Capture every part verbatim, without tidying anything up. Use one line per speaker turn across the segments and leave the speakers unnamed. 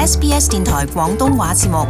S B S 電台廣東話節目。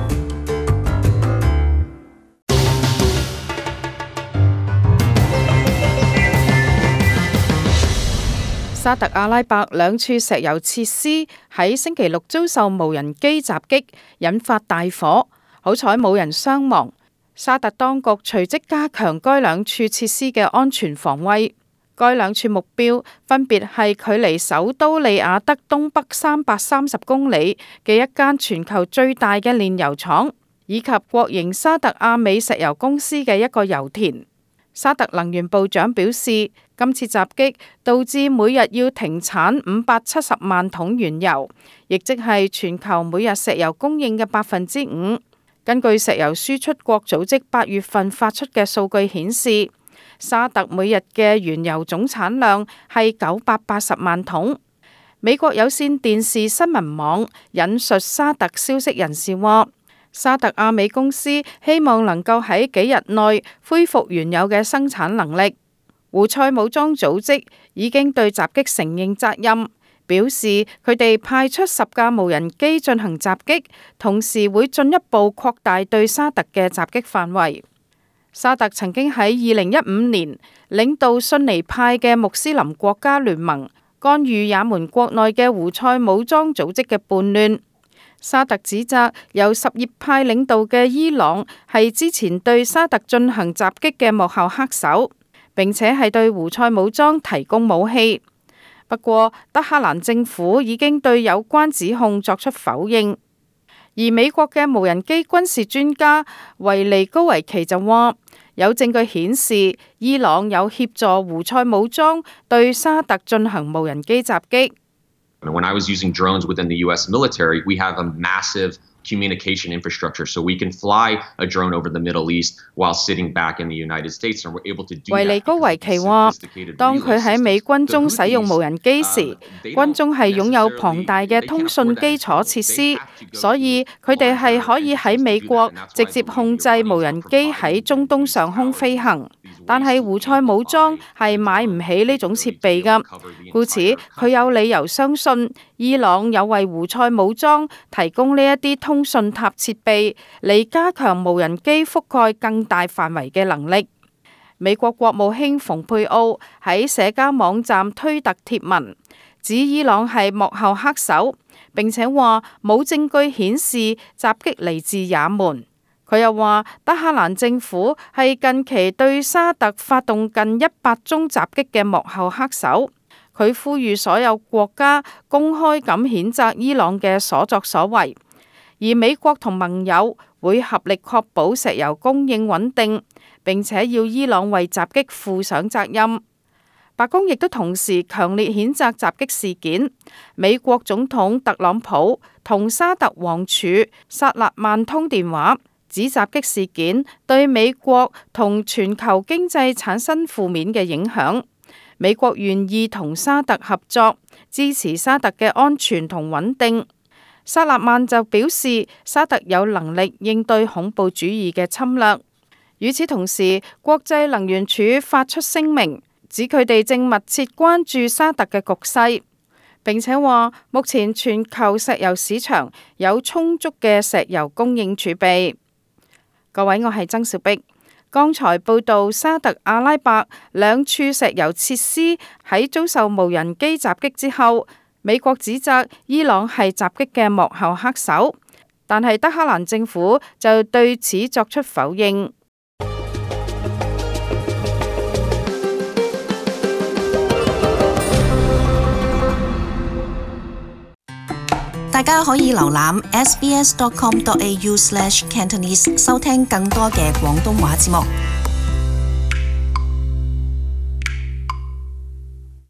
沙特阿拉伯兩處石油設施喺星期六遭受無人機襲擊，引發大火，好彩冇人傷亡。沙特當局隨即加強該兩處設施嘅安全防衛。該兩處目標分別係距離首都利雅得東北三百三十公里嘅一間全球最大嘅煉油廠，以及國營沙特阿美石油公司嘅一個油田。沙特能源部長表示，今次襲擊導致每日要停產五百七十萬桶原油，亦即係全球每日石油供應嘅百分之五。根據石油輸出國組織八月份發出嘅數據顯示，沙特每日嘅原油總產量係九百八十萬桶。美國有線電視新聞網引述沙特消息人士話，沙特阿美公司希望能夠喺幾日內恢復原有嘅生產能力。胡塞武裝組織已經對襲擊承認責任，表示佢哋派出十架無人機進行襲擊，同時會進一步擴大對沙特嘅襲擊範圍。沙特曾經喺二零一五年領導遜尼派嘅穆斯林國家聯盟，干預也門國內嘅胡塞武裝組織嘅叛亂。沙特指責由什葉派領導嘅伊朗係之前對沙特進行襲擊嘅幕後黑手，並且係對胡塞武裝提供武器。不過，德黑蘭政府已經對有關指控作出否認。而美國嘅無人機軍事專家維尼高維奇就話，有證據顯示伊朗有協助胡塞武裝對沙特進行無人機襲擊。
When I was using drones within the U S military, we have a massive communication infrastructure, so we can fly a drone over the Middle East while sitting back in the United States, and we're able to do that.
維尼高維奇話，當佢喺美軍中使用無人機時，軍中係擁有龐大嘅通訊基礎設施，所以佢哋係可以喺美國直接控制無人機喺中東上空飛行。但係胡塞武裝係買唔起呢種設備㗎，故此佢有理由相信伊朗有為胡塞武裝提供呢一啲通訊塔設備，嚟加強無人機覆蓋更大範圍嘅能力。美國國務卿蓬佩奧喺社交網站推特貼文，指伊朗係幕後黑手，並且話冇證據顯示襲擊嚟自也門。佢又話，德黑蘭政府係近期對沙特發動近一百宗襲擊嘅幕後黑手。佢呼籲所有國家公開咁譴責伊朗嘅所作所為，而美國同盟友會合力確保石油供應穩定，並且要伊朗為襲擊負上責任。白宮亦都同時強烈譴責襲擊事件。美國總統特朗普同沙特王儲薩勒曼通電話，指襲擊事件對美國同全球經濟產生負面嘅影響。美國願意同沙特合作，支持沙特嘅安全同穩定。薩勒曼就表示，沙特有能力應對恐怖主義嘅侵略。與此同時，國際能源署發出聲明，指佢哋正密切關注沙特嘅局勢，並且話目前全球石油市場有充足嘅石油供應儲備。各位，我係曾小碧。剛才報道沙特阿拉伯兩處石油設施喺遭受無人機襲擊之後，美國指責伊朗係襲擊嘅幕後黑手，但係德黑蘭政府就對此作出否認。
大家可以瀏覽 s b s dot com dot a u slash cantonese 收聽更多嘅廣東話節目。